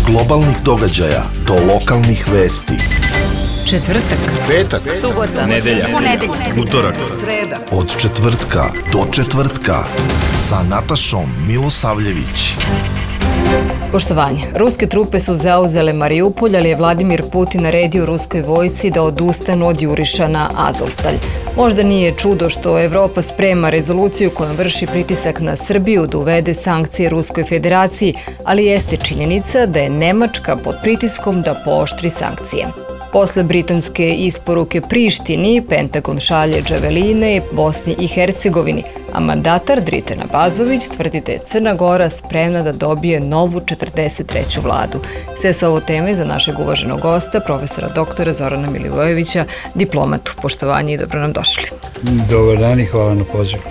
globalnih događaja do lokalnih vesti. Četvrtak, petak, subota, nedelja, utorak, sreda. Od četvrtka do četvrtka sa Natašom Milosavljević. Poštovanje. Ruske trupe su zauzele Mariupolj, ali je Vladimir Putin naredio ruskoj vojsci da odustanu od juriša na Azovstalj. Možda nije čudo što Evropa sprema rezoluciju kojom vrši pritisak na Srbiju da uvede sankcije Ruskoj federaciji, ali jeste činjenica da je Nemačka pod pritiskom da pooštri sankcije. Posle britanske isporuke Prištini, Pentagon šalje džaveline Bosni i Hercegovini, a mandatar Dritan Abazović tvrdi da je Crna Gora spremna da dobije novu 43. vladu. Sve su ovo teme za našeg uvaženog gosta, profesora doktora Zorana Milivojevića, diplomatu. Poštovanje i dobro nam došli. Dobar dan i hvala na pozivu.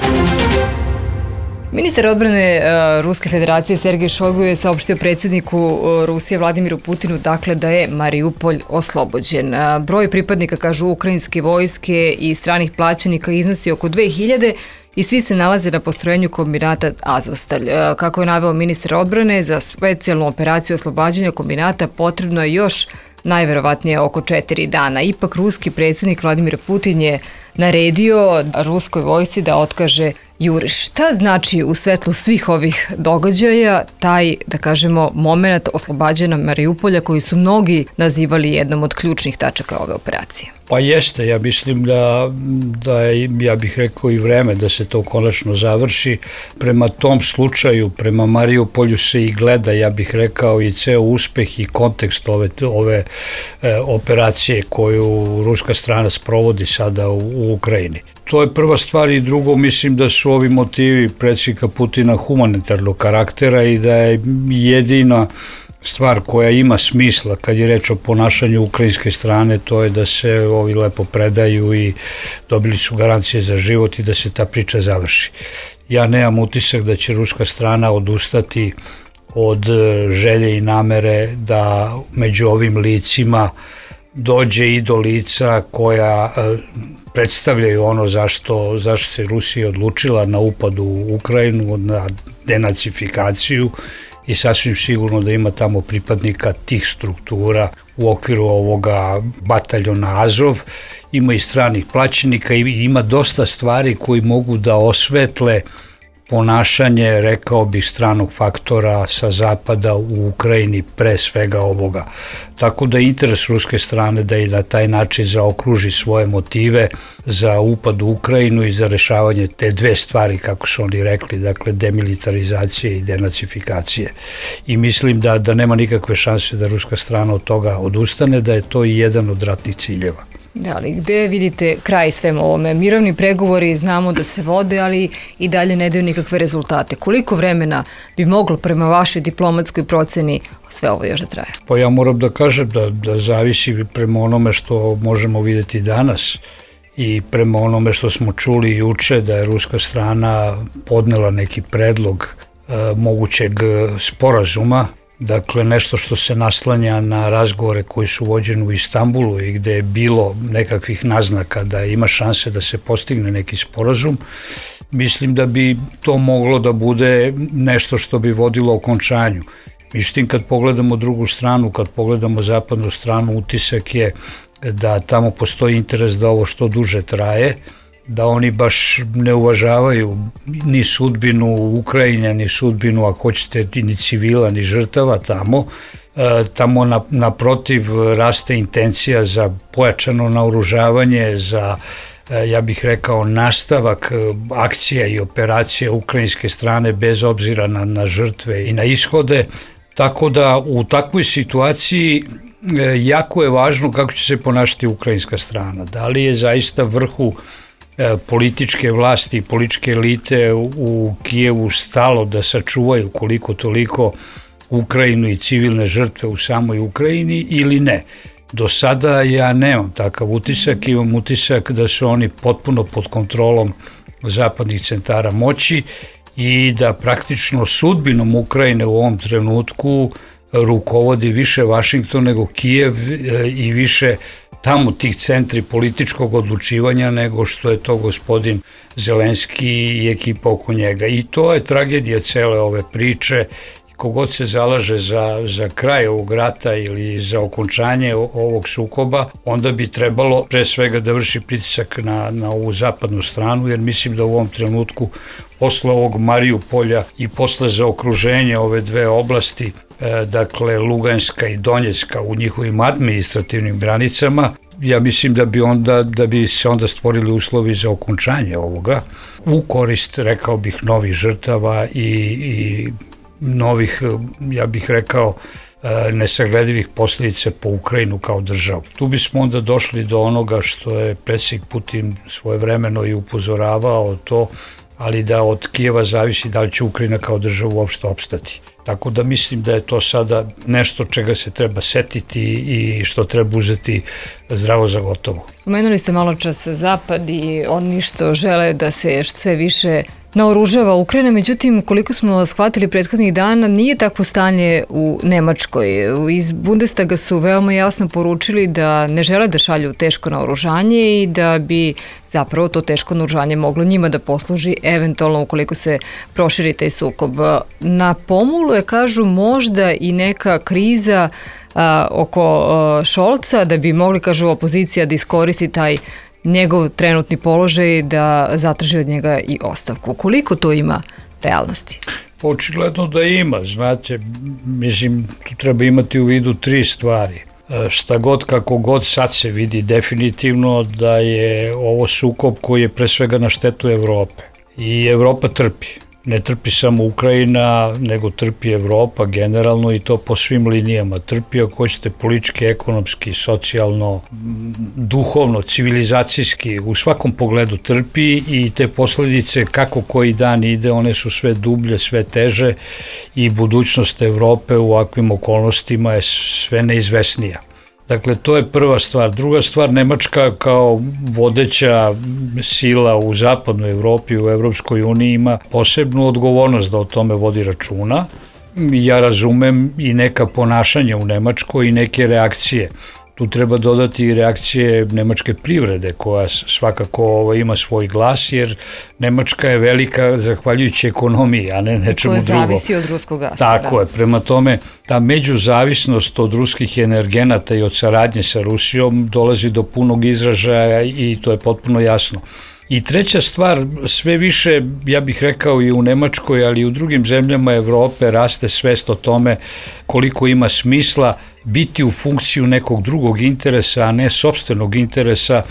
Ministar odbrane Ruske federacije Sergej Šojgu je saopštio predsjedniku Rusije Vladimiru Putinu da je Mariupolj oslobođen. Broj pripadnika, kažu, ukrajinske vojske i stranih plaćenika iznosi oko 2000 i svi se nalaze na postrojenju kombinata Azovstalj. Kako je naveo ministar odbrane, za specijalnu operaciju oslobađanja kombinata potrebno je još najverovatnije oko 4 dana. Ipak ruski predsjednik Vladimir Putin je naredio ruskoj vojsci da otkaže juriš. Šta znači u svetlu svih ovih događaja taj, da kažemo, moment oslobađanja Mariupolja koji su mnogi nazivali jednom od ključnih tačaka ove operacije? Pa jeste, ja mislim da je, ja bih rekao, i vreme da se to konačno završi. Prema tom slučaju, prema Mariupolju se i gleda, ja bih rekao, i ceo uspeh i kontekst ove operacije koju ruska strana sprovodi sada u Ukrajini. To je prva stvar i drugo, mislim da su ovi motivi predsjednika Putina humanitarnog karaktera i da je jedina stvar koja ima smisla kad je reč o ponašanju ukrajinske strane, to je da se ovi lepo predaju i dobili su garancije za život i da se ta priča završi. Ja nemam utisak da će ruska strana odustati od želje i namere da među ovim licima dođe i do lica koja predstavljaju ono zašto se Rusija odlučila na upad u Ukrajinu, na denacifikaciju, i sasvim sigurno da ima tamo pripadnika tih struktura u okviru ovoga bataljona Azov. Ima i stranih plaćenika i ima dosta stvari koji mogu da osvetle ponašanje, rekao bih, stranog faktora sa zapada u Ukrajini, pre svega ovoga. Tako da je interes ruske strane da i na taj način zaokruži svoje motive za upad u Ukrajinu i za rešavanje te dve stvari, kako su oni rekli, dakle demilitarizacije i denacifikacije. I mislim da nema nikakve šanse da ruska strana od toga odustane, da je to i jedan od ratnih ciljeva. Da, ali gde vidite kraj svemu ovome? Mirovni pregovori znamo da se vode, ali i dalje ne daju nikakve rezultate. Koliko vremena bi moglo prema vašoj diplomatskoj proceni sve ovo još da traje? Pa ja moram da kažem da zavisi prema onome što možemo vidjeti danas i prema onome što smo čuli juče, da je ruska strana podnela neki predlog mogućeg sporazuma. Dakle, nešto što se naslanja na razgovore koji su vođeni u Istanbulu i gde je bilo nekakvih naznaka da ima šanse da se postigne neki sporazum. Mislim da bi to moglo da bude nešto što bi vodilo okončanju. Međutim, kad pogledamo drugu stranu, kad pogledamo zapadnu stranu, utisak je da tamo postoji interes da ovo što duže traje, da oni baš ne uvažavaju ni sudbinu Ukrajine, ni sudbinu, ako hoćete, ni civila, ni žrtava tamo. Tamo naprotiv raste intencija za pojačano naoružavanje, za, ja bih rekao, nastavak akcija i operacija ukrajinske strane bez obzira na žrtve i na ishode. Tako da u takvoj situaciji jako je važno kako će se ponašati ukrajinska strana. Da li je zaista vrhu političke vlasti i političke elite u Kijevu stalo da sačuvaju koliko toliko Ukrajinu i civilne žrtve u samoj Ukrajini ili ne. Do sada ja nemam takav utisak, imam utisak da su oni potpuno pod kontrolom zapadnih centara moći i da praktično sudbinom Ukrajine u ovom trenutku rukovodi više Vašington nego Kijev i više tamo tih centri političkog odlučivanja nego što je to gospodin Zelenski i ekipa oko njega. I to je tragedija cele ove priče kogod se zalaže za kraj ovog rata ili za okončanje ovog sukoba, onda bi trebalo pre svega da vrši pritisak na ovu zapadnu stranu, jer mislim da u ovom trenutku posle ovog Mariupolja i posle zaokruženja ove dve oblasti, dakle Luganska i Donjecka u njihovim administrativnim granicama, ja mislim da bi se onda stvorili uslovi za okončanje ovoga u korist, rekao bih, novih žrtava i novih, ja bih rekao, nesagledivih posljedica po Ukrajinu kao državu. Tu bismo onda došli do onoga što je predsjednik Putin svojevremeno i upozoravao to, ali da od Kijeva zavisi da li će Ukrajina kao država uopšte opstati. Tako da mislim da je to sada nešto čega se treba setiti i što treba uzeti zdravo za gotovo. Spomenuli ste malo čas Zapad i oni što žele da se sve više naoružava Ukrajina, međutim, koliko smo shvatili prethodnih dana, nije takvo stanje u Nemačkoj. Iz Bundestaga su veoma jasno poručili da ne žele da šalju teško naoružanje i da bi zapravo to teško naoružanje moglo njima da posluži eventualno ukoliko se proširi taj sukob. Na pomolu je, kažu, možda i neka kriza oko Scholza, da bi mogli, kažu, opozicija da iskoristi taj njegov trenutni položaj da zatraži od njega i ostavku. Koliko to ima realnosti? Očigledno da ima, znate, mislim, tu treba imati u vidu 3 stvari. Šta god, kako god, sad se vidi definitivno da je ovo sukob koji je pre svega na štetu Evrope. I Evropa trpi. Ne trpi samo Ukrajina, nego trpi Evropa generalno i to po svim linijama. Trpi, ako hoćete, politički, ekonomski, socijalno, duhovno, civilizacijski, u svakom pogledu trpi i te posljedice, kako koji dan ide, one su sve dublje, sve teže i budućnost Evrope u ovakvim okolnostima je sve neizvesnija. Dakle, to je prva stvar. Druga stvar, Nemačka kao vodeća sila u zapadnoj Evropi, u Evropskoj uniji, ima posebnu odgovornost da o tome vodi računa. Ja razumem i neka ponašanja u Nemačkoj i neke reakcije. Tu treba dodati i reakcije nemačke privrede, koja svakako ima svoj glas, jer Nemačka je velika zahvaljujući ekonomiji, a ne nečemu drugom. Koja zavisi od ruskog gasa. Tako je, prema tome, ta međuzavisnost od ruskih energenata i od saradnje sa Rusijom dolazi do punog izražaja i to je potpuno jasno. I treća stvar, sve više, ja bih rekao i u Nemačkoj, ali i u drugim zemljama Evrope raste svest o tome koliko ima smisla biti u funkciju nekog drugog interesa, a ne sopstvenog interesa,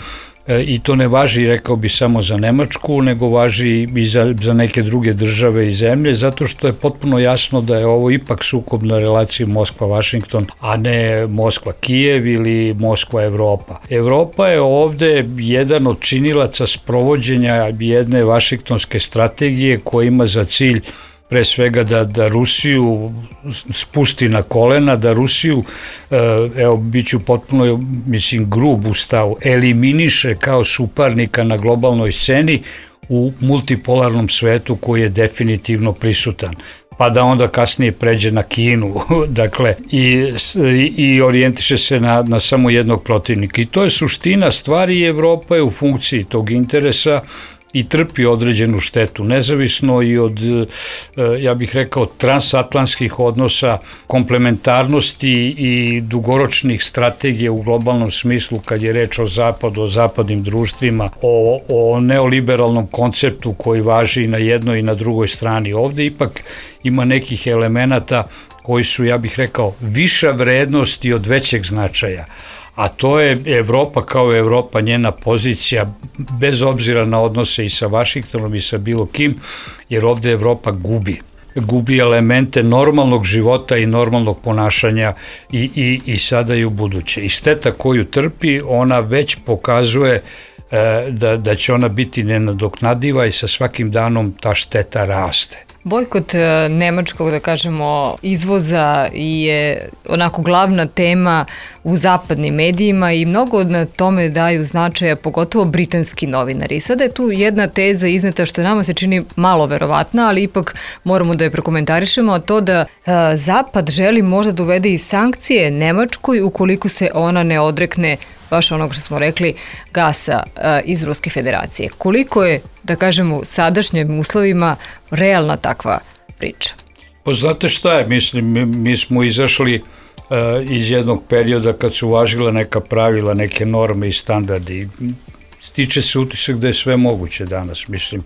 i to ne važi, rekao bi, samo za Nemačku, nego važi i za neke druge države i zemlje, zato što je potpuno jasno da je ovo ipak sukob na relaciji Moskva-Vašington, a ne Moskva-Kijev ili Moskva-Evropa. Evropa je ovde jedan od činilaca sprovođenja jedne vašingtonske strategije koja ima za cilj pre svega da Rusiju spusti na kolena, da Rusiju, evo, bit ću potpuno, mislim, grub u stavu, eliminiše kao suparnika na globalnoj sceni u multipolarnom svetu koji je definitivno prisutan. Pa da onda kasnije pređe na Kinu, dakle, i orijentiše se na samo jednog protivnika. I to je suština stvari i Evropa je u funkciji tog interesa i trpi određenu štetu, nezavisno i od, ja bih rekao, transatlantskih odnosa, komplementarnosti i dugoročnih strategija u globalnom smislu kad je reč o zapadu, o zapadnim društvima, o neoliberalnom konceptu koji važi i na jednoj i na drugoj strani. Ovde ipak ima nekih elemenata koji su, ja bih rekao, viša vrednost i od većeg značaja. A to je Evropa kao Evropa, njena pozicija, bez obzira na odnose i sa Vašingtonom i sa bilo kim, jer ovde Evropa gubi elemente normalnog života i normalnog ponašanja i sada i u buduće. I šteta koju trpi, ona već pokazuje da će ona biti nenadoknadiva i sa svakim danom ta šteta raste. Bojkot nemačkog, da kažemo, izvoza je onako glavna tema u zapadnim medijima i mnogo na tome daju značaja, pogotovo britanski novinari. Sada je tu jedna teza izneta što nama se čini malo verovatna, ali ipak moramo da je prokomentarišemo, a to da Zapad želi možda da uvede i sankcije Nemačkoj ukoliko se ona ne odrekne baš onog što smo rekli, gasa iz Ruske federacije. Koliko je, da kažemo, u sadašnjim uslovima realna takva priča? Pa znate šta je, mislim, mi smo izašli iz jednog perioda kad su važila neka pravila, neke norme i standardi. Stiče se utisak da je sve moguće danas. Mislim,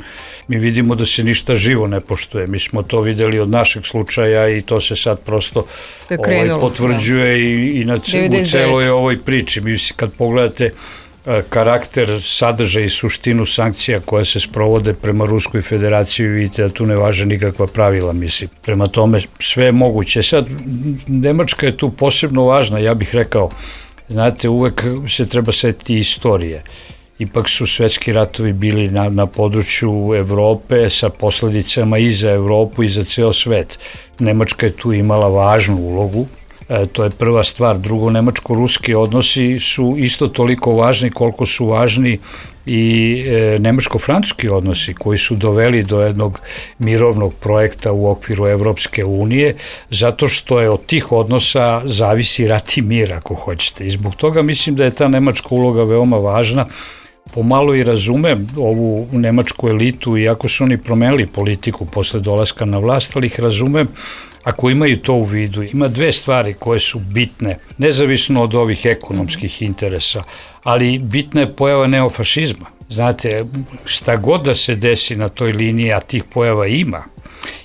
mi vidimo da se ništa živo ne poštuje. Mi smo to videli od našeg slučaja i to se sad prosto potvrđuje i u celoj ovoj priči. Mislim, kad pogledate karakter, sadržaj i suštinu sankcija koje se sprovode prema Ruskoj federaciji, vidite da tu ne važe nikakva pravila, mislim. Prema tome, sve je moguće. Sad, Nemačka je tu posebno važna, ja bih rekao, znate, uvek se treba setiti istorije. Ipak su svetski ratovi bili na području Evrope sa posledicama i za Evropu i za ceo svet. Nemačka je tu imala važnu ulogu. To je prva stvar. Drugo, nemačko-ruski odnosi su isto toliko važni koliko su važni i nemačko-francuski odnosi koji su doveli do jednog mirovnog projekta u okviru Evropske unije, zato što je od tih odnosa zavisi rat i mir, ako hoćete. I zbog toga mislim da je ta nemačka uloga veoma važna. Pomalo i razumem ovu nemačku elitu, iako su oni promenili politiku posle dolaska na vlast, ali ih razumem ako imaju to u vidu. Ima dve stvari koje su bitne, nezavisno od ovih ekonomskih interesa, ali bitna je pojava neofašizma. Znate, šta god da se desi na toj liniji, a tih pojava ima,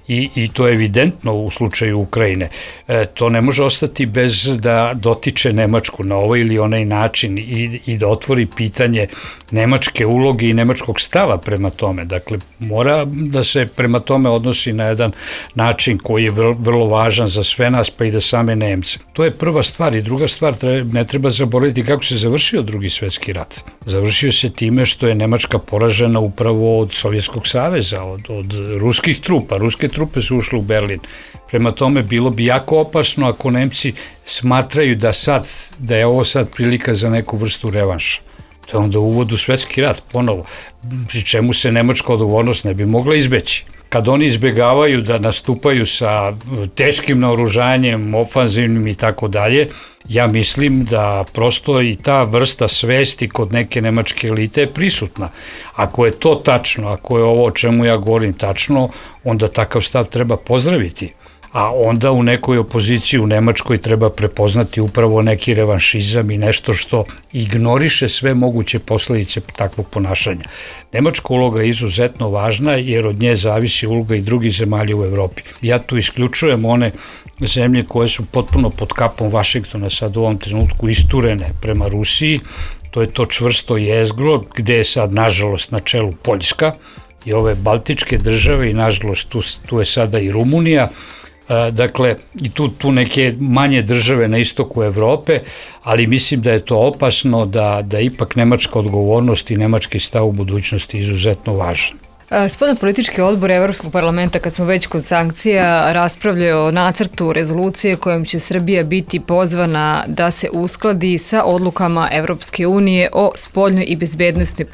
i to je evidentno u slučaju Ukrajine. To ne može ostati bez da dotiče Nemačku na ovaj ili onaj način i da otvori pitanje nemačke uloge i nemačkog stava prema tome. Dakle, mora da se prema tome odnosi na jedan način koji je vrlo važan za sve nas, pa i da same Nemce. To je prva stvar. I druga stvar, ne treba zaboraviti kako se završio Drugi svetski rat. Završio se time što je Nemačka poražena upravo od Sovjetskog saveza, od ruskih trupa. Ruske trupe su ušle u Berlin. Prema tome, bilo bi jako opasno ako Nemci smatraju da je ovo sad prilika za neku vrstu revanša. To je onda uvod u svetski rat, ponovo, pri čemu se nemačka odgovornost ne bi mogla izbeći. Kad oni izbegavaju da nastupaju sa teškim naoružanjem, ofanzivnim i tako dalje, ja mislim da prosto i ta vrsta svesti kod neke nemačke elite je prisutna. Ako je to tačno, ako je ovo o čemu ja govorim tačno, onda takav stav treba pozdraviti. A onda u nekoj opoziciji u Nemačkoj treba prepoznati upravo neki revanšizam i nešto što ignoriše sve moguće posledice takvog ponašanja. Nemačka uloga je izuzetno važna jer od nje zavisi uloga i drugih zemalja u Evropi. Ja tu isključujem one zemlje koje su potpuno pod kapom Vašingtona sad u ovom trenutku isturene prema Rusiji. To je to čvrsto jezgro gde je sad nažalost na čelu Poljska i ove baltičke države i nažalost tu je sada i Rumunija. Dakle, i tu neke manje države na istoku Evrope, ali mislim da je to opasno, da ipak nemačka odgovornost i nemački stav u budućnosti izuzetno važan. Spoljnopolitički odbor Evropskog parlamenta, kad smo već kod sankcija, raspravljaju o nacrtu rezolucije kojom će Srbija biti pozvana da se uskladi sa odlukama Evropske unije o spoljnoj i bezbednostnoj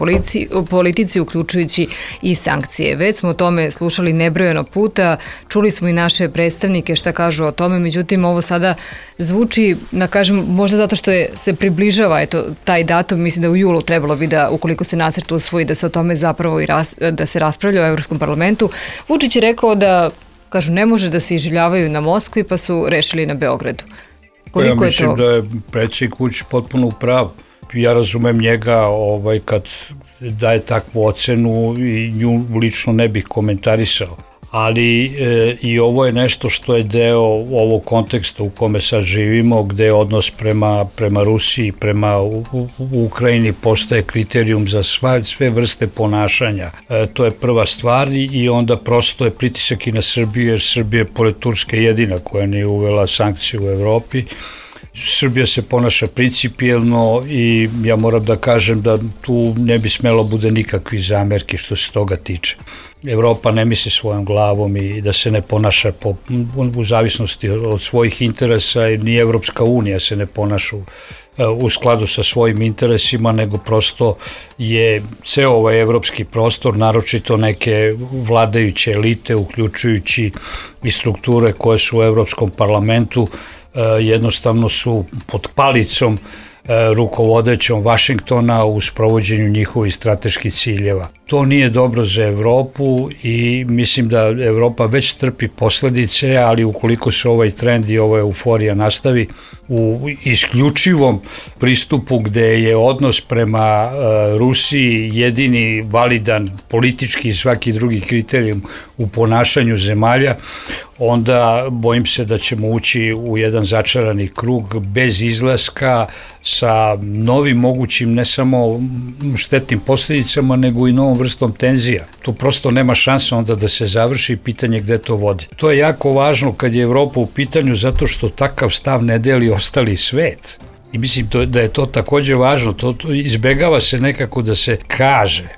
politici, uključujući i sankcije. Već smo o tome slušali nebrojeno puta, čuli smo i naše predstavnike šta kažu o tome, međutim ovo sada zvuči, da kažem, možda zato što se približava taj datum, mislim da u julu trebalo bi da, ukoliko se nacrt usvoji, da se o tome zapravo i da se raspravlja u Evropskom parlamentu. Vučić je rekao da, kažu, ne može da se iživljavaju na Moskvi, pa su rešili na Beogradu. Ja mislim da je predsjednik Vučić potpuno u pravu. Ja razumem njega kad daje takvu ocenu i nju lično ne bih komentarisao. Ali i ovo je nešto što je deo ovog konteksta u kome sad živimo, gde je odnos prema Rusiji, prema Ukrajini postaje kriterijum za sve vrste ponašanja. To je prva stvar i onda prosto je pritisak i na Srbiju, jer Srbija je pored Turske jedina koja nije uvela sankcije u Evropi. Srbija se ponaša principijelno i ja moram da kažem da tu ne bi smelo bude nikakvih zamerki što se toga tiče. Evropa ne misli svojom glavom i da se ne ponaša u zavisnosti od svojih interesa, i ni Evropska unija se ne ponaša u skladu sa svojim interesima, nego prosto je ceo ovaj evropski prostor, naročito neke vladajuće elite, uključujući i strukture koje su u Evropskom parlamentu, jednostavno su pod palicom rukovodećom Vašingtona u sprovođenju njihovih strateških ciljeva. To nije dobro za Evropu i mislim da Evropa već trpi posledice, ali ukoliko se ovaj trend i ova euforija nastavi u isključivom pristupu gde je odnos prema Rusiji jedini validan politički i svaki drugi kriterijum u ponašanju zemalja, onda bojim se da ćemo ući u jedan začarani krug bez izlaska sa novim mogućim ne samo štetnim posljedicama, nego i novom vrstom tenzija. Tu prosto nema šanse onda da se završi pitanje gde to vodi. To je jako važno kad je Evropa u pitanju zato što takav stav ne deli ostali svet. I mislim da je to takođe važno. To izbegava se nekako da se kaže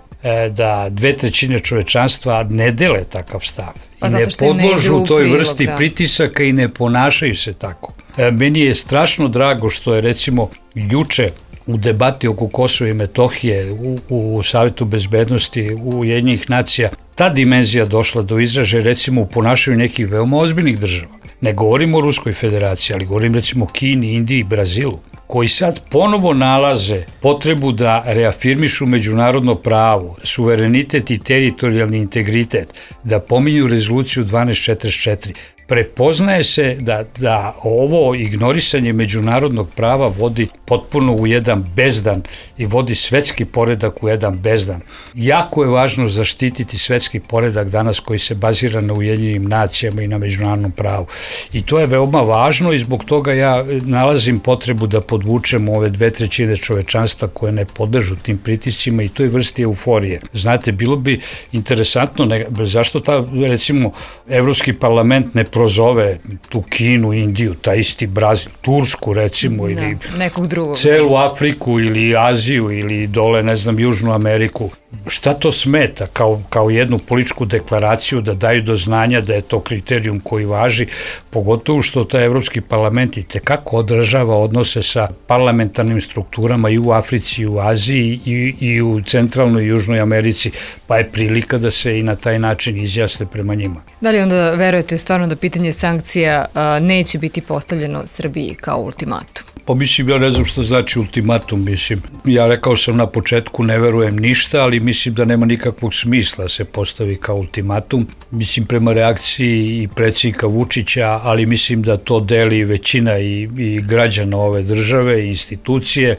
da 2/3 čovečanstva ne dele takav stav. I ne podložu toj vrsti pritisaka i ne ponašaju se tako. Meni je strašno drago što je recimo juče u debati oko Kosova i Metohije u Savetu bezbednosti Ujedinjenih nacija ta dimenzija došla do izražaja recimo u ponašanju nekih veoma ozbiljnih država. Ne govorim o Ruskoj federaciji, ali govorim recimo o Kini, Indiji i Brazilu, koji sad ponovo nalaze potrebu da reafirmišu međunarodno pravo, suverenitet i teritorijalni integritet, da pominju rezoluciju 1244. Prepoznaje se da ovo ignorisanje međunarodnog prava vodi potpuno u jedan bezdan i vodi svetski poredak u jedan bezdan. Jako je važno zaštititi svetski poredak danas koji se bazira na Ujedinjenim nacijama i na međunarodnom pravu. I to je veoma važno i zbog toga ja nalazim potrebu da podvučemo ove 2/3 čovečanstva koje ne podležu tim pritiscima i toj vrsti euforije. Znate, bilo bi interesantno, zašto recimo Evropski parlament ne prozove tu Kinu, Indiju, taj isti Brazil, Tursku recimo, ili nekog drugog, celu Afriku ili Aziju ili dole, ne znam, Južnu Ameriku. Šta to smeta kao jednu političku deklaraciju da daju do znanja da je to kriterijum koji važi, pogotovo što taj Evropski parlament i tekako odražava odnose sa parlamentarnim strukturama i u Africi i u Aziji i u centralnoj i Južnoj Americi, pa je prilika da se i na taj način izjasne prema njima. Da li onda verujete stvarno da pitanje sankcija neće biti postavljeno Srbiji kao ultimatum? Pa mislim, ja ne znam što znači ultimatum, mislim. Ja rekao sam na početku, ne verujem ništa, ali mislim da nema nikakvog smisla se postavi kao ultimatum. Mislim, prema reakciji i predsjednika Vučića, ali mislim da to deli većina i građana ove države i institucije,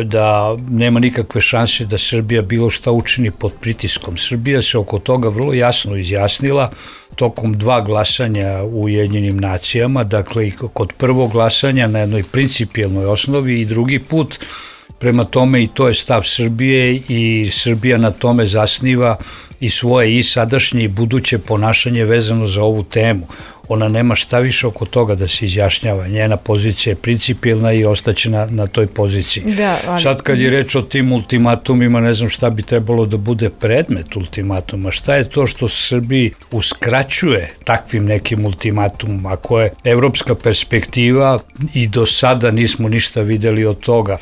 da nema nikakve šanse da Srbija bilo šta učini pod pritiskom. Srbija se oko toga vrlo jasno izjasnila tokom 2 glasanja u Ujedinjenim nacijama, dakle i kod prvog glasanja na jednoj principijelnoj osnovi i drugi put. Prema tome i to je stav Srbije i Srbija na tome zasniva i svoje i sadašnje i buduće ponašanje vezano za ovu temu. Ona nema šta više oko toga da se izjašnjava. Njena pozicija je principijelna i ostaće na toj poziciji. Sad kad je reč o tim ultimatumima, ne znam šta bi trebalo da bude predmet ultimatuma. Šta je to što Srbiji uskraćuje takvim nekim ultimatumom? Ako je evropska perspektiva i do sada nismo ništa videli od toga.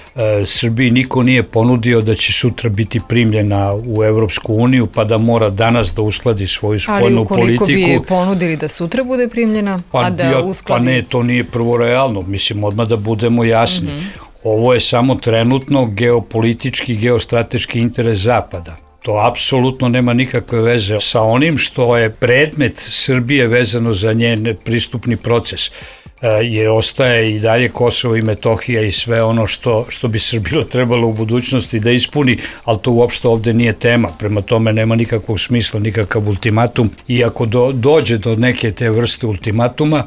Srbiji niko nije ponudio da će sutra biti primljena u Evropsku uniju, pa da mora danas da uskladi svoju spoljnu politiku. Ali ukoliko bi je ponudili da sutra bude primljena, a da uskladi... Pa ne, to nije prvo realno, mislim, odmah da budemo jasni. Ovo je samo trenutno geopolitički, geostrateški interes Zapada. To apsolutno nema nikakve veze sa onim što je predmet Srbije vezano za njen pristupni proces. Jer ostaje i dalje Kosovo i Metohija i sve ono što bi Srbija trebalo u budućnosti da ispuni, ali to uopšte ovde nije tema, prema tome nema nikakvog smisla, nikakav ultimatum i ako dođe do neke te vrste ultimatuma,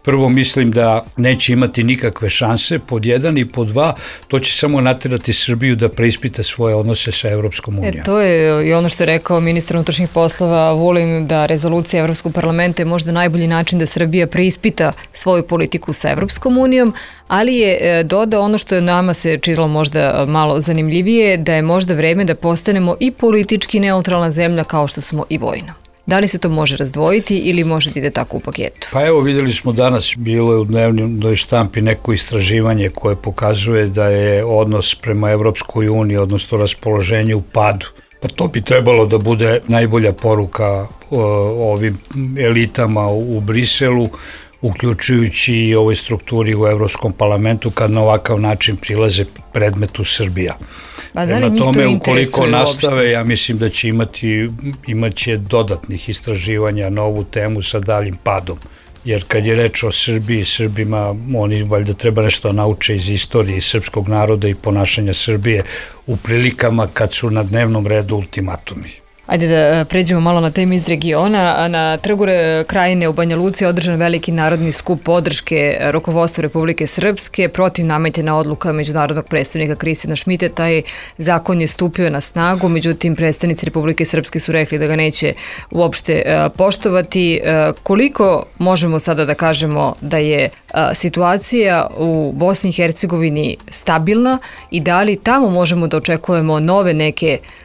prvo mislim da neće imati nikakve šanse, pod 1 i pod 2, to će samo naterati Srbiju da preispita svoje odnose sa Evropskom unijom. To je i ono što je rekao ministar unutrašnjih poslova Vulin, da rezolucija Evropskog parlamenta je možda najbolji način da Srbija preispita svoju politiku sa Evropskom unijom, ali je dodao ono što je nama se činilo možda malo zanimljivije, da je možda vreme da postanemo i politički neutralna zemlja kao što smo i vojno. Da li se to može razdvojiti ili može da ide tako u paketu? Pa evo, videli smo danas, bilo je u dnevnoj štampi neko istraživanje koje pokazuje da je odnos prema Evropskoj uniji, odnosno raspoloženje u padu. Pa to bi trebalo da bude najbolja poruka ovim elitama u Briselu, uključujući i ovoj strukturi u Evropskom parlamentu kad na ovakav način prilaze predmetu Srbija. Da li tome, ukoliko nastave, ja mislim da će imaće dodatnih istraživanja na ovu temu sa daljim padom. Jer kad je reč o Srbiji, Srbima, oni valjda treba nešto nauče iz istorije srpskog naroda i ponašanja Srbije u prilikama kad su na dnevnom redu ultimatumi. Ajde da pređemo malo na teme iz regiona. Na Trgu Krajine u Banja Luci je održan veliki narodni skup podrške rukovodstvu Republike Srpske protiv nametena odluka međunarodnog predstavnika Kristijana Šmita. Taj zakon je stupio na snagu, međutim predstavnici Republike Srpske su rekli da ga neće uopšte poštovati. Koliko možemo sada da kažemo da je situacija u Bosni i Hercegovini stabilna i da li tamo možemo da očekujemo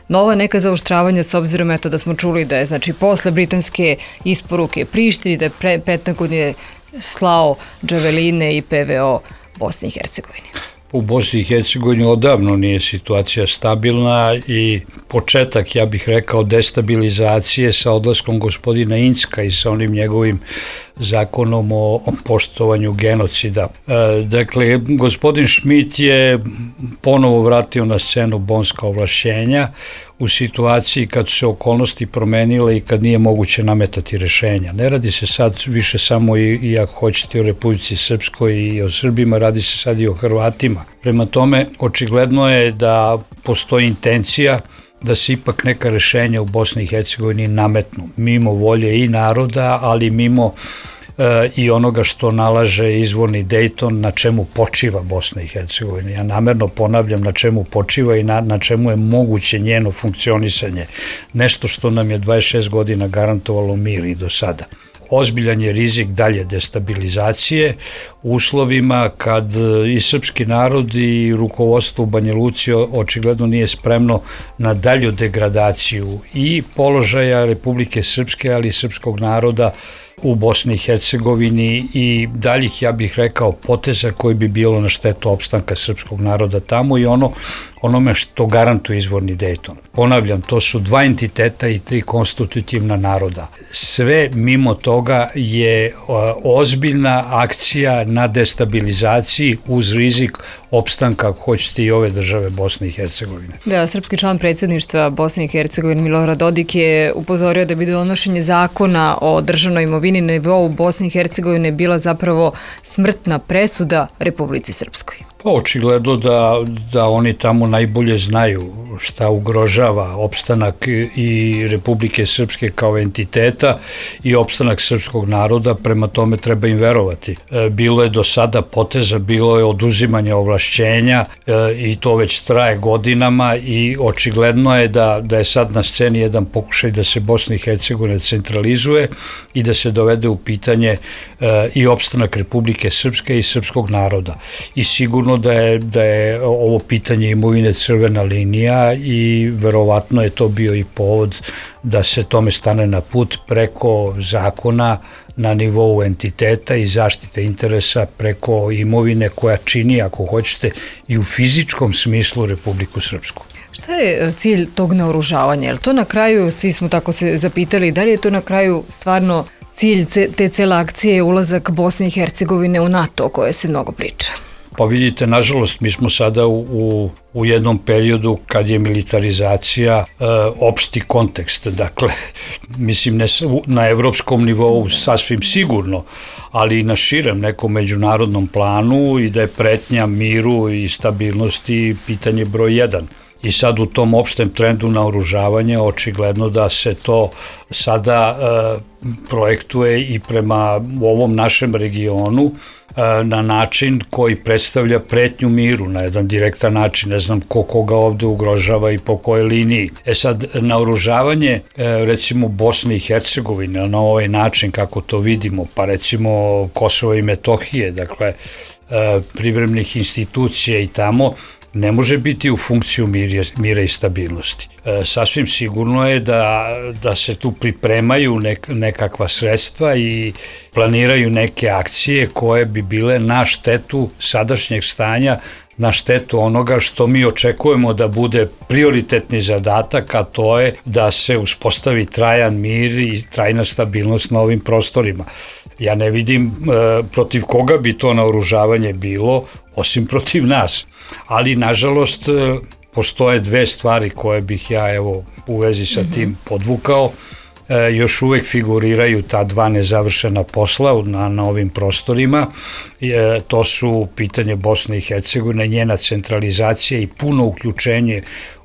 nova neka zaoštravanja s obzirom da smo čuli da je posle britanske isporuke Prištini da je Pentagon je slao džaveline i PVO Bosni i Hercegovini? U Bosni i Hercegovini odavno nije situacija stabilna i početak, ja bih rekao, destabilizacije sa odlaskom gospodina Incka i sa onim njegovim zakonom o poštovanju genocida. Dakle, gospodin Šmit je ponovo vratio na scenu bonska ovlašćenja u situaciji kad su se okolnosti promenile i kad nije moguće nametati rešenja. Ne radi se sad više samo i ako hoćete o Republici Srpskoj i o Srbima, radi se sad i o Hrvatima. Prema tome, očigledno je da postoji intencija da se ipak neka rešenja u Bosni i Hercegovini nametnu, mimo volje i naroda, ali mimo i onoga što nalaže izvorni Dejton, na čemu počiva Bosna i Hercegovina. Ja namerno ponavljam na čemu počiva i na čemu je moguće njeno funkcionisanje. Nešto što nam je 26 godina garantovalo mir i do sada. Ozbiljan je rizik dalje destabilizacije u uslovima kad i srpski narod i rukovodstvo u Banja Luci očigledno nije spremno na dalju degradaciju i položaja Republike Srpske, ali i srpskog naroda u Bosni i Hercegovini i daljih, ja bih rekao, poteza koji bi bilo na štetu opstanka srpskog naroda tamo i onome što garantuje izvorni Dejton. Ponavljam, to su 2 entiteta i 3 konstitutivna naroda. Sve mimo toga je ozbiljna akcija na destabilizaciji uz rizik opstanka, ako hoćete, i ove države Bosne i Hercegovine. Da, srpski član predsjedništva Bosne i Hercegovine Milorad Dodik je upozorio da bi donošenje zakona o državnoj imovini na nivou Bosne i Hercegovine bila zapravo smrtna presuda Republici Srpskoj. Pa očigledno da oni tamo najbolje znaju šta ugrožava opstanak i Republike Srpske kao entiteta i opstanak srpskog naroda, prema tome treba im verovati. Bilo je do sada poteza, bilo je oduzimanje ovlašćenja i to već traje godinama i očigledno je da je sad na sceni jedan pokušaj da se Bosna i Hercegovina centralizuje i da se dovede u pitanje i opstanak Republike Srpske i srpskog naroda. I sigurno da je ovo pitanje imovine crvena linija i verovatno je to bio i povod da se tome stane na put preko zakona na nivou entiteta i zaštite interesa preko imovine koja čini, ako hoćete, i u fizičkom smislu Republiku Srpsku. Šta je cilj tog naoružavanja? Je li to na kraju, svi smo tako se zapitali, da li je to na kraju stvarno cilj te cele akcije ulazak Bosne i Hercegovine u NATO o kojoj se mnogo priča? Pa vidite, nažalost, mi smo sada u jednom periodu kad je militarizacija opšti kontekst. Dakle, mislim, ne na evropskom nivou sasvim sigurno, ali i na širem nekom međunarodnom planu i da je pretnja miru i stabilnosti pitanje broj 1. I sad u tom opštem trendu naoružavanja očigledno da se to sada projektuje i prema ovom našem regionu na način koji predstavlja pretnju miru na jedan direktan način. Ne znam koga ovde ugrožava i po kojoj liniji. Sad, naoružavanje recimo Bosne i Hercegovine na ovaj način kako to vidimo, pa recimo Kosova i Metohije, dakle privremenih institucija i tamo, ne može biti u funkciju mira i stabilnosti. Sasvim sigurno je da se tu pripremaju nekakva sredstva i planiraju neke akcije koje bi bile na štetu sadašnjeg stanja, na štetu onoga što mi očekujemo da bude prioritetni zadatak, a to je da se uspostavi trajan mir i trajna stabilnost na ovim prostorima. Ja ne vidim protiv koga bi to naoružavanje bilo, osim protiv nas. Ali, nažalost, postoje dve stvari koje bih ja u vezi sa tim podvukao. Još uvek figuriraju ta dva nezavršena posla na ovim prostorima. To su pitanje Bosne i Hercegovine, njena centralizacija i puno uključenje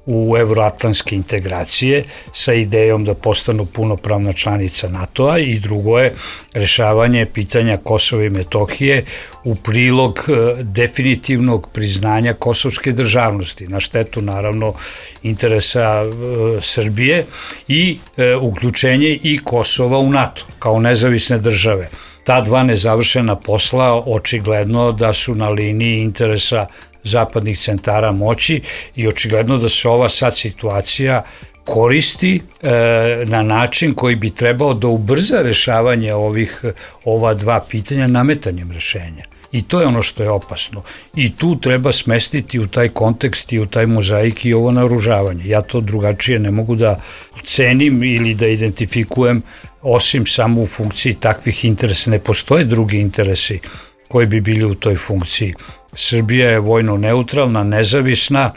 u evroatlantske integracije sa idejom da postanu punopravna članica NATO-a, i drugo je rešavanje pitanja Kosova i Metohije u prilog definitivnog priznanja kosovske državnosti, na štetu naravno interesa Srbije, i uključenje i Kosova u NATO kao nezavisne države. Ta dva nezavršena posla očigledno da su na liniji interesa zapadnih centara moći i očigledno da se ova sad situacija koristi na način koji bi trebao da ubrza rešavanje ova dva pitanja nametanjem rešenja. I to je ono što je opasno. I tu treba smestiti u taj kontekst i u taj mozaik i ovo naoružavanje. Ja to drugačije ne mogu da cenim ili da identifikujem, osim samo u funkciji takvih interesa. Ne postoje drugi interesi koji bi bili u toj funkciji. Srbija je vojno neutralna, nezavisna,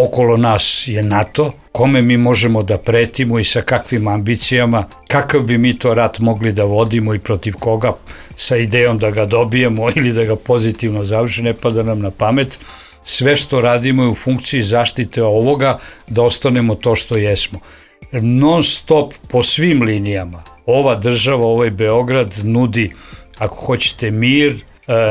okolo nas je NATO, kome mi možemo da pretimo i sa kakvim ambicijama, kakav bi mi to rat mogli da vodimo i protiv koga, sa idejom da ga dobijemo ili da ga pozitivno završi, ne pada nam na pamet. Sve što radimo je u funkciji zaštite ovoga, da ostanemo to što jesmo. Non stop po svim linijama ova država, ovaj Beograd nudi, ako hoćete, mir,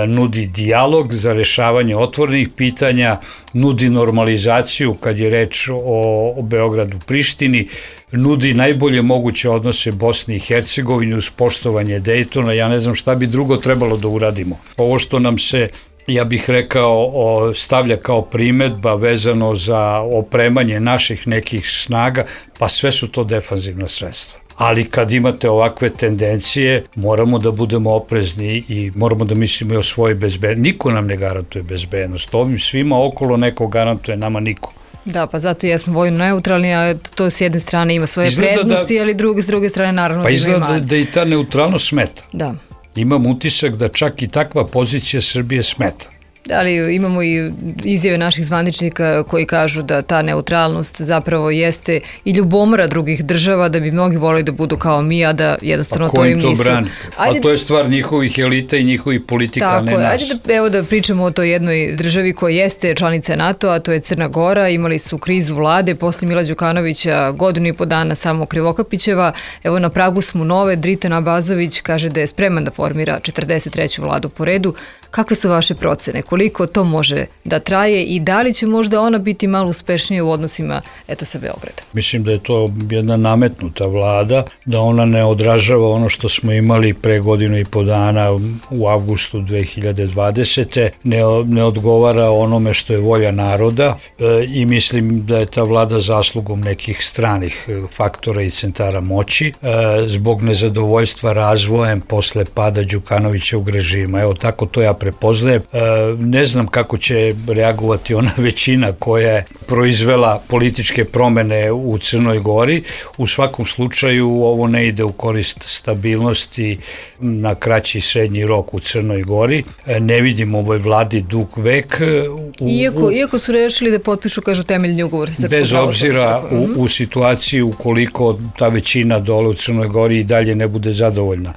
nudi dijalog za rešavanje otvorenih pitanja, nudi normalizaciju kad je reč o Beogradu, Prištini, nudi najbolje moguće odnose Bosne i Hercegovine uz poštovanje Dejtona. Ja ne znam šta bi drugo trebalo da uradimo. Ovo što nam se, ja bih rekao, stavlja kao primedba vezano za opremanje naših nekih snaga, pa sve su to defanzivna sredstva. Ali kad imate ovakve tendencije, moramo da budemo oprezni i moramo da mislimo i o svojoj bezbednosti. Niko nam ne garantuje bezbednost. Ovim svima okolo neko garantuje, nama niko. Da, pa zato jesmo vojno neutralni, a to s jedne strane ima svoje prednosti, ali s druge strane naravno da ima i manje. Pa izgleda da i ta neutralnost smeta. Da. Imam utisak da čak i takva pozicija Srbije smeta. Ali imamo i izjave naših zvaničnika koji kažu da ta neutralnost zapravo jeste i ljubomora drugih država, da bi mnogi volili da budu kao mi, a da jednostavno to im nisu. A ko im to brani? A to je stvar njihovih elita i njihovih politika, a ne nas. Ajde da pričamo o toj jednoj državi koja jeste članica NATO-a, to je Crna Gora. Imali su krizu vlade posle Mila Đukanovića, godinu i po dana samo Krivokapićeva. Evo, na pragu smo nove. Dritan Abazović kaže da je spreman da formira 43. vladu po redu. Kakve su vaše procene? Koliko to može da traje i da li će možda ona biti malo uspešnija u odnosima sa Beogradom? Mislim da je to jedna nametnuta vlada, da ona ne odražava ono što smo imali pre godinu i po dana u avgustu 2020. Ne odgovara onome što je volja naroda i mislim da je ta vlada zaslugom nekih stranih faktora i centara moći zbog nezadovoljstva razvojem posle pada Đukanovićevog režima. Evo, tako to ja prepoznajem. Ne znam kako će reagovati ona većina koja je proizvela političke promene u Crnoj Gori. U svakom slučaju ovo ne ide u korist stabilnosti na kraći i srednji rok u Crnoj Gori. Ne vidimo ovoj vladi dug vek. Iako su rešili da potpišu, kažu, temeljni ugovor sa Srpskom pravoslavnom. Bez obzira u situaciji ukoliko ta većina dole u Crnoj Gori i dalje ne bude zadovoljna.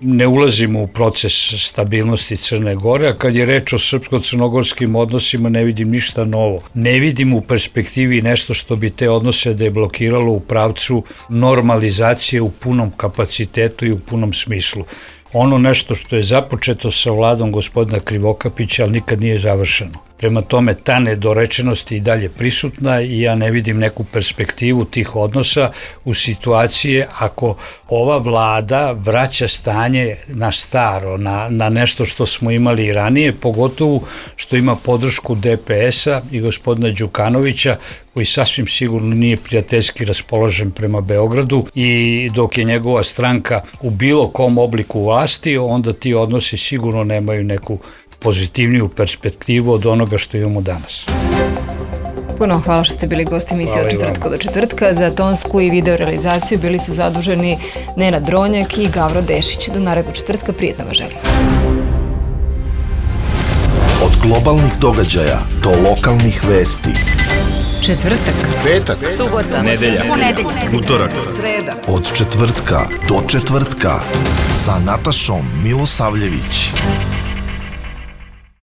Ne ulazimo u proces stabilnosti Crne Gore, a kad je reč o srpsko-crnogorskim odnosima ne vidim ništa novo. Ne vidim u perspektivi nešto što bi te odnose deblokiralo u pravcu normalizacije u punom kapacitetu i u punom smislu. Ono nešto što je započeto sa vladom gospodina Krivokapića, ali nikad nije završeno. Prema tome, ta nedorečenost je i dalje prisutna i ja ne vidim neku perspektivu tih odnosa u situacije ako ova vlada vraća stanje na staro, na nešto što smo imali i ranije, pogotovo što ima podršku DPS-a i gospodina Đukanovića, koji sasvim sigurno nije prijateljski raspoložen prema Beogradu, i dok je njegova stranka u bilo kom obliku vlasti, onda ti odnosi sigurno nemaju neku pozitivniju perspektivu od onoga što imamo danas. Puno hvala što ste bili gosti emisije Od četvrtka do četvrtka. Za tonsku i video realizaciju bili su zaduženi Nenad Dronjak i Gavro Dešić. Do narednog četvrtka, prijetno vas želim. Od globalnih događaja do lokalnih vesti. Četvrtak, Petak, subota, nedelja, utorak, sreda. Od četvrtka do četvrtka sa Natašom Milosavljević.